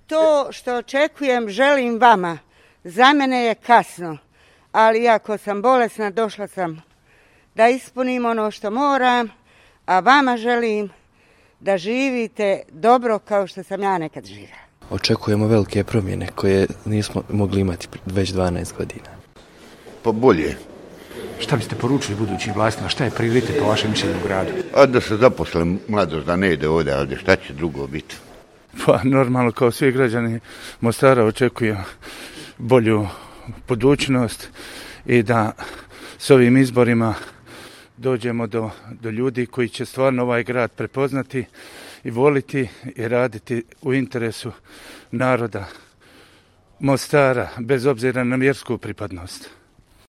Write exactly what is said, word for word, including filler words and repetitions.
To što očekujem želim vama. Za mene je kasno, ali iako sam bolesna, došla sam da ispunim ono što moram, a vama želim da živite dobro kao što sam ja nekad živjela. Očekujemo velike promjene koje nismo mogli imati već dvanaest godina. Pa bolje. Šta biste poručili budućim vlastima? Šta je prioritet po vašem mišljenju u gradu? A da se zaposle mladost, da ne ide ovdje, ali šta će drugo biti? Pa normalno, kao svi građani Mostara očekujem bolju budućnost i da s ovim izborima dođemo do, do ljudi koji će stvarno ovaj grad prepoznati i voliti i raditi u interesu naroda Mostara, bez obzira na vjersku pripadnost.